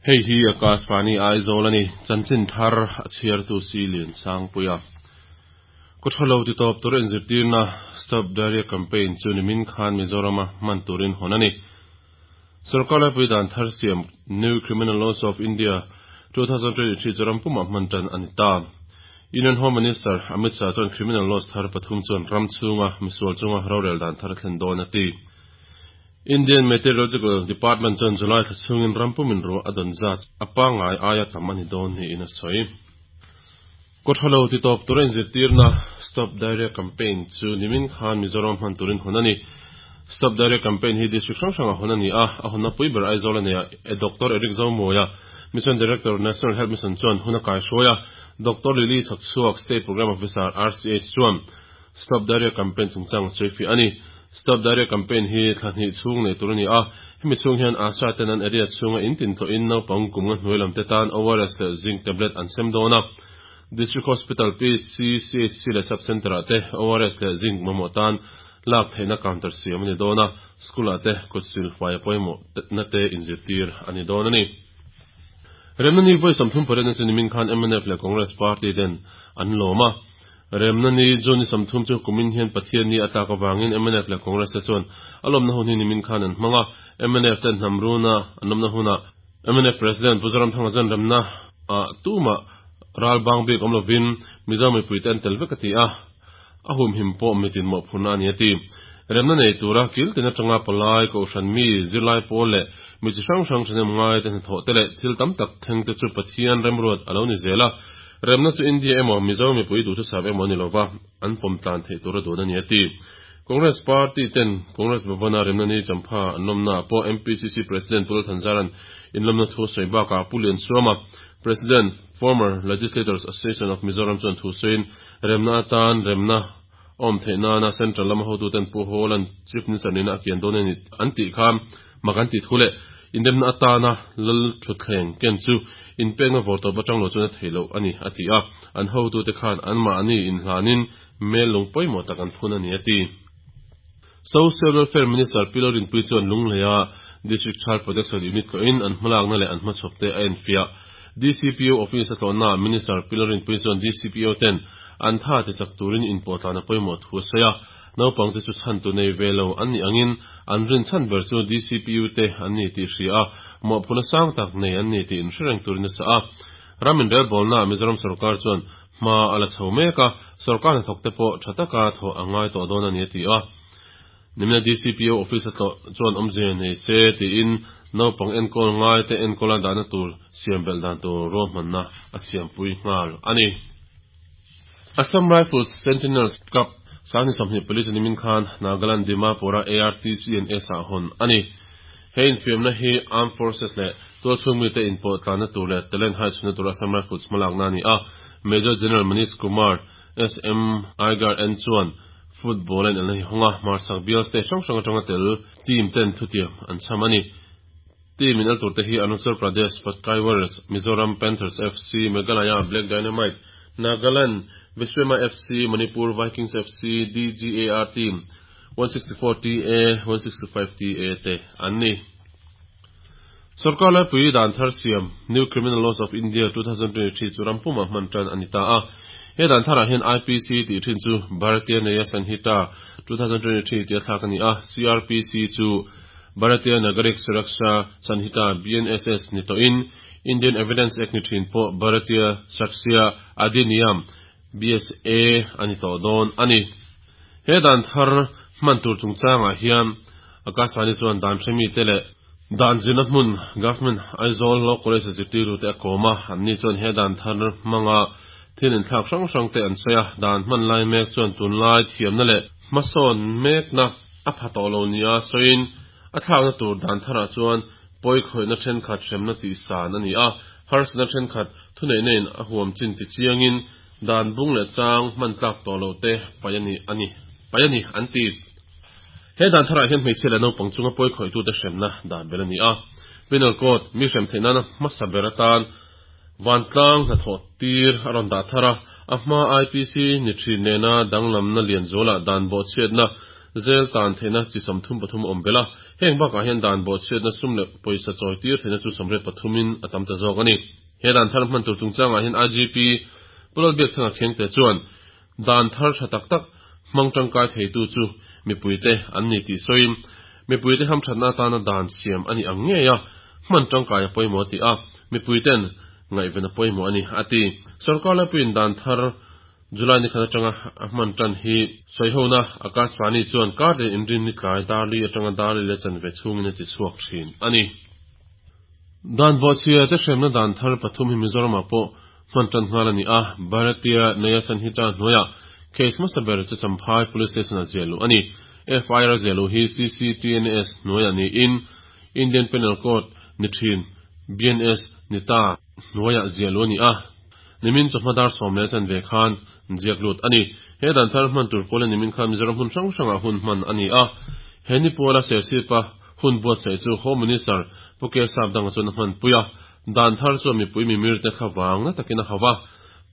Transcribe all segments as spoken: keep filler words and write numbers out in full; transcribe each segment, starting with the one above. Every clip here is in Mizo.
Hei hi Akashvani Aizawl ani chanchin thar a chhiartu si lian sangpuia Kothalo ti top tur inzirtirna Stop Diarrhea Campaign chu nimin khan Mizorama hman turin hawn ani. Sarkar laipui dan thar siam New Criminal Laws of India twenty twenty-three chu ram pumah hman tan ani ta. Union Home Minister Amit Shah chuan criminal laws thar pathum chuan ram chhunga misual chunga rorel dan thar thlen dawn a ti. Indian Meteorological Department chuan July thla chhungin ram pumin ro a dawn zat a pangai aia tam ani dawn ni in a sawi. Kothalo ti top tur inzirtirna Stop Diarrhea Campaign chu nimin khan Mizoram hman turin hawn ani. Stop Diarrhea Campaign hi district hrang hranga hawn ani a, a hawnna pui ber Aizawl ani a, e Doctor Eric Zomoya, Mission Director, National Health Mission chuan hun a kai hruai a. Doctor Lily Chhakchhuak, State Program Officer, R C H chuan Stop Diarrhea Campaign chungchang sawi fi ani. Stop Diarrhea Campaign hi thla hnih chhung nei tur ani a, hemi chhung hian ASHA ten an area chhunga in tin tawhin naupang kum nga hnuai lam te tan O R S leh zinc tablet an sem dawn a. District Hospital, P C C H C leh Sub Center ah te O R S leh zinc mamawh tan lak theihna counter siam ani dawn a, school ah te kut sil fai pawimawh na te inzirtir ani dawn ani. Remna ni vawi sawmthum pariat na chu nimin khan M N F leh Congress Party ten an lawm a. Remna ni June ni sawmthum chu kumin hian Pathian ni atlak awangin M N F leh Congress te chuan a lawmna hun hi nimin khan an hmang a. M N F ten hnamruna an lawmna huna M N F President Pu Zoramthanga chuan remna a tuma ral bang bik awm lovin Mizo mipui te an tel vek a ti a, a hum him pawh mitin mawh phurna ani a ti. Remna nei tura kil tin atanga palai kohhran mi, zirlai pawl leh mi chi hrang hrang thahnem ngai te hnathawh te leh thil tam tak thleng te chu Pathian remruat alo ni zel a, remna chu India emaw Mizo mipui duhthusam emaw ani lova, an pawm tlan theih tur a dun ani a ti. Congress Party ten Congress Bhavana remna ni champha an lawmna pawh M P C C President Pu Lal Thanzaran in lawmna thu sawi bakah Pu Liansuama, President, Former Legislators Association of Mizoram chuan thu sawiin remna atan remna awm theihna na Central lama hotu ten Pu Hawla'n Chief Minister nina a kian dawn ani an tih kha mak an ti thu leh indemna atana lal thutthleng ken chu inpekna vawr tawp atang lo chuan a theih loh ani a ti a, an hotu te khan an mahni inhlanin mel lung pawimawh tak an phun ani a ti. Social Welfare Minister Pi Lalrinpuii chuan Lungleia District Child Protection Unit tlawhin an hmalakna leh an hmachhawp te a enfiah. D C P O Office a tlawhna Minister Pi Lalrinpuii chuan D C P O ten an tha ti chak turin inpawh tlana pawimawh thu a sawi a. Naupang te chu chhan tu nei ve lo an ni angin an rin chhan ber chu D C P U te an ni tih hria a, mawhphurhna sang tak nei an ni tih inhre reng turin a sa a. Ramin relbawlna Mizoram sarkar chuan hma a la chho mek a, sarkar hnathawk te pawh tha taka thawh a ngai tawh dawn ani a ti a. Nimina D C P O Office a tlawh chuan awmzia nei se tiin naupang enkawl ngai te enkawl a dahna tur siam belh dan tur ruahmanna a siampui nghal ani. Assam Rifles Sentinels Cup sangni sawmhnih pali chu nimin khan Nagaland Dimapura A R T C and S ah hawn ani. He infiamna hi Armed Forces leh tualchhung mite inpawh tlanna tur leh talent hai chhunna tur Assam Rifles hmalakna ani a. Major General Manish Kumar S M Igar N chuan football an elna hi hawnga hmarchhak bial state hrang hrang atanga tel team ten thutiam an cham ani. Team in el tur te hi Arunachal Pradesh Patkai Warriors, Mizoram Panthers F C, Meghalaya Black Dynamite, Nagaland Viswema F C, Manipur Vikings F C, D G A R Team one sixty-four T A, one sixty-five T A te an ni. Sarkar laipui dan thar siam New Criminal Laws of India twenty twenty-three chu rampuma hman tan ani ta a. He dan tharah hian I P C tih thin chu Bharatiya Nyaya Sanhita twenty twenty-three tia thlak ani a, C R P C chu Bharatiya Nagarik Suraksha Sanhita B N S S ni tawhin Indian Evidence Act ni thin pawh Bharatiya Sakshya Adhiniyam B S A ani tawh dawn ani. He dan thar hman tur chungchangah hian Akashvani chuan dan hremi te leh dan zirna hmun Government Aizawl Law College a zirtirtu te a kawm a, anni chuan he dan thar hmanga thil inthlak hrang hrang te an sawi a. Dan hman lai mek chuan tunlai thiamna leh hmasawn mekna a pha tawh lo nia sawiin a thlakna tur dan tharah chuan pawi khawihna thenkhat hremna tih san ani a, harsatna thenkhat thuneihna in a huam chin ti chiangin dan bung leh chang hman tlak tawh lo te pai ani ani pai ani an ti. He dan tharah hian hmeichhia leh naupang chunga pawi khawihtu te hremna dan bel ani a. Penal Code mi hrem theihna hmasa ber atan vantlang hnathawh tir a rawn dah thar a, a hma I P C ni thin nena danglamna lian zualah dan bawh chhiatna Jail tan theihna chi sawmthum pathum a awm belh a, heng bakah hian dan bawhchhiatna sum leh pawisa chawi tir theihna chu sawmriat pathumin a tam ta zawk a ni. He dan thar hman tur chungchangah hian I G P Pu Lalbiakthanga Khengte chuan dan thar tha tak tak hmang tangkai theitu chu mipuite an ni tih sawiin mipuite hamthatna atana dan siam a ni ang ngei a, hman tangkai a pawimawh a ti a, mipuiten ngaihven a pawimawh a ni a ti. Sorkar laipuiin dan thar July ni khat atanga a hman tan hi sawihona Akashvani chuan kar leh inrin ni tlai darli atanga darli leh chanve chhungin a ti chhuak thin a ni. Dan bawhchhia te hremna dan thar pathum hi Mizoramah pawh hman tan nghal a ni a, Bharatiya Nyaya Sanhita hnuaiah case hmasa ber chu Champhai Police Station a ziah luh a ni. F I R ziah luh hi C C T N S hnuaiah niin Indian Penal Code ni thin B N S ni ta hnuaiah ziah luh a ni a, nimin chawhma dar sawm leh chanve khan ziak lut a ni. He dan thar hman tur pawla nimin khan Mizoram hmun hrang hrangah hun hman a ni a, he ni pawla Serchhipa hun buatsaih chu Home Minister Pu K Sapdanga chuan a hman pui a, dan thar chuan mipui mimir te thlavang na takin a hauh a,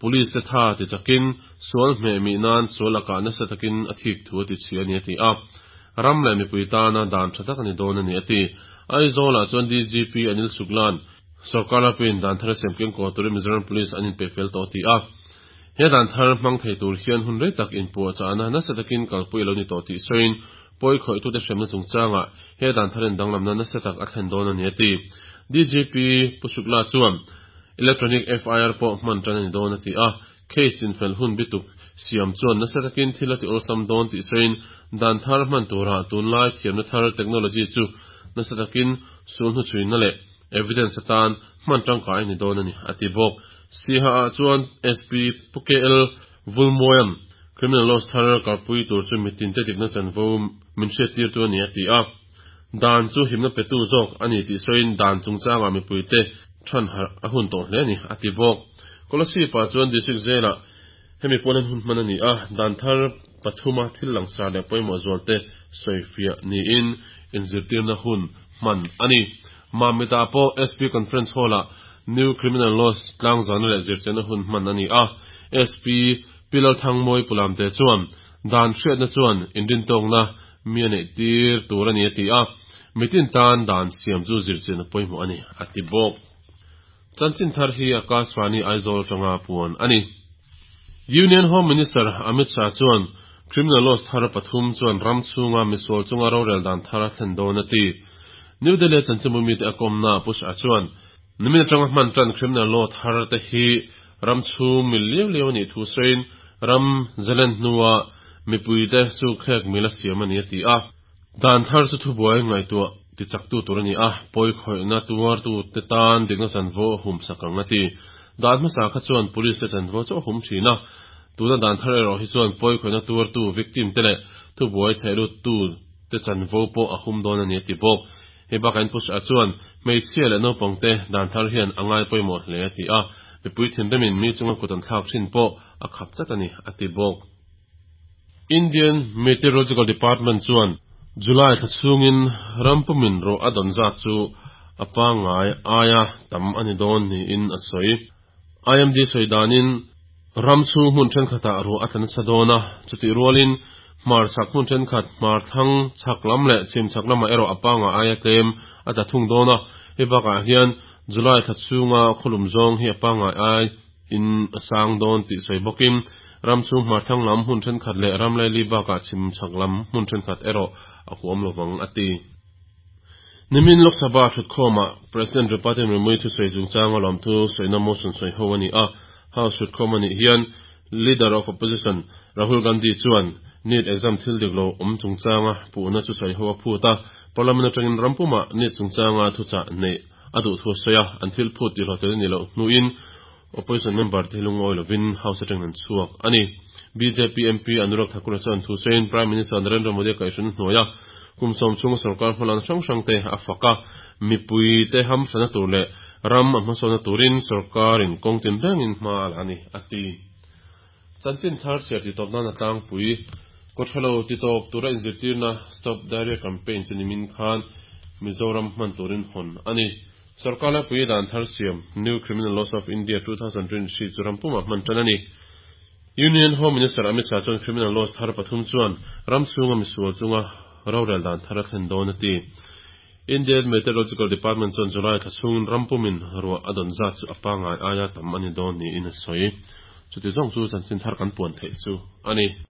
police te tha ti chakin sual hmeh mi nan sual lakah nasa takin a thik thu a ti chhi a ni a ti a, ram leh mipui tana dan tha tak a ni dawn a ni a ti. Aizawlah chuan D G P Anil Shuklan sarkar lapuiin dan thar a siam keng kaw turin Mizoram Police an inpe fel tawh a ti a, he dan thar hmang thei tur hian hun rei tak inpuahchahna nasa takin kalpui a lo ni tawh tih sawiin pawi khawih tute hremna chungchangah he dan tharin danglamna nasa tak a thlen dawn a ni a ti. D G P Pu Shukla chuan electronic F I R pawh hman tan a ni dawn a ti a, case chinfel hun bituk siam chuan nasa takin thil a ti awlsam dawn tih sawiin dan thar hman turah tunlai thiamna thar technology chu nasa takin sul hnuchhuina leh evidence atan hman tangkai a ni dawn a ni a ti bawk. Siha ah chuan S P Pu K L Vulmoyam criminal laws thar kalpui tur chu mitin te dikna chanvo min hriat tir tu a ni a ti a, dan chu himna petu zawk a ni tih sawiin dan chungchangah mipui te than harh a hun tawh hle a ni a ti bawk. Kolasib-ah chuan district jail-ah hemi pawh hian hun hman a ni a, dan thar pathuma thil langsar leh pawimawh zual te sawifiah niin inzirtirna hun hman a ni. Mamita pawh S P Conference Hall-ah New Criminal Laws tlangzana leh zirchianna hun hman a ni a, S P Pilal Thangmawi Pulamte chuan dan hriatna chuan inrintawkna mi a neih tir tur a ni a ti a, mitin tan dan siam chu zirchianna pawimawh a ni a ti bawk. Chanchin thar hi Akashvani Aizawl tanga puan a ni. Union Home Minister Amit Shah chuan criminal laws thar pathum chuan ram chhunga misual chunga rorel dan thar a thlen dawn a ti. New Delhi chanchinbu mi te a kawmna Pu Shah chuan nimin atanga hman tan criminal law thar te hi ram chhung mil liau liau a nih thu sawiin ram zalen hnuah mipui te su khek mil a siam a ni a ti a, dan thar chu thubuai ngaihtuah ti chaktu tur a ni a, pawi khawihna tuartu te tan dikna chanvo a hum sak ang a ti. Dan hmasa kha chuan police te chanvo chu a hum thin a, tuna dan thar erawh hi chuan pawi khawihna tuartu victim te leh thubuai thehlut tu te chanvo pawh a hum dawn a ni a ti bawk. Hei bakah in Pu Shah chuan hmeichhia leh naupang te dan thar hian a ngai pawimawh hle a ti a, mipui thinrimin mi chunga kut an thlak thin pawh a khap tlat a ni a ti bawk. Indian Meteorological Department chuan July thla chhungin rampumin rawh a dawn zat chu a pangngai aia tam a ni dawn niin a sawi. I M D sawi danin ram chhung hmun thenkhatah ruah a tla nasa dawn a, chutih rualin hmar chhak hmun thenkhat hmar thlang chhak lam leh chhim chhak lamah erawh a pangngai aia tlem a tla thung dawn a, hei bakah hian July thla chhunga khawlum zawng hi a pangngai ai in a sang dawn tih sawi bawkin ram chhung hmar thlang lam hmun thenkhat leh ram laili bakah chhim chhak lam hmun thenkhat erawh a huam lovang a ti. Nimin Lok Sabha thutkhawmah President Draupadi Murmu thu sawi chungchang a lawm thu sawina motion sawi ho a ni a, House thutkhawm a nih hian Leader of Opposition Rahul Gandhi chuan NEET exam thil dik lo awm chungchanga puhna chu sawi ho a phut a, Parliament atangin rampumah NEET chungchanga thuchah nei a duh thu a sawi a, an thil phut tih hlawhtlin a ni loh hnuin opposition member te hi lungawi lovin House atangin an chhuak a ni. B J P M P Anurag Thakur chuan thu sawiin Prime Minister Narendra Modi a kaihhran hnuai a, kum sawm chhunga sarkar hmalan hrang hrang te a fak a, mipui te hamsana tur leh ram a hmasawna turin sarkarin kawng tin rengin hma a la a ni a ti. Chanchin thar chhiar ti tawp nan a tlangpui kawthalo ti tawp tura inzirtirna Stop Diarrhea Campaign chu nimin khan Mizoram hman turin hawn a ni. Sarkar laipui dan thar siam New Criminal Laws of India two thousand twenty-three chu rampumah hman tan a ni. Union Home Minister Amit Shah chuan criminal laws thar pathum chuan ram chhunga misual chunga rorel dan thar a thlen dawn a ti. Indian Meteorological Department chuan July thla chhungin ram pumin ruah a dawn zat chu a pangai aia tam a ni dawn niin a sawi. Chuti zawng chu chanchin thar kan puan theih chu a ni.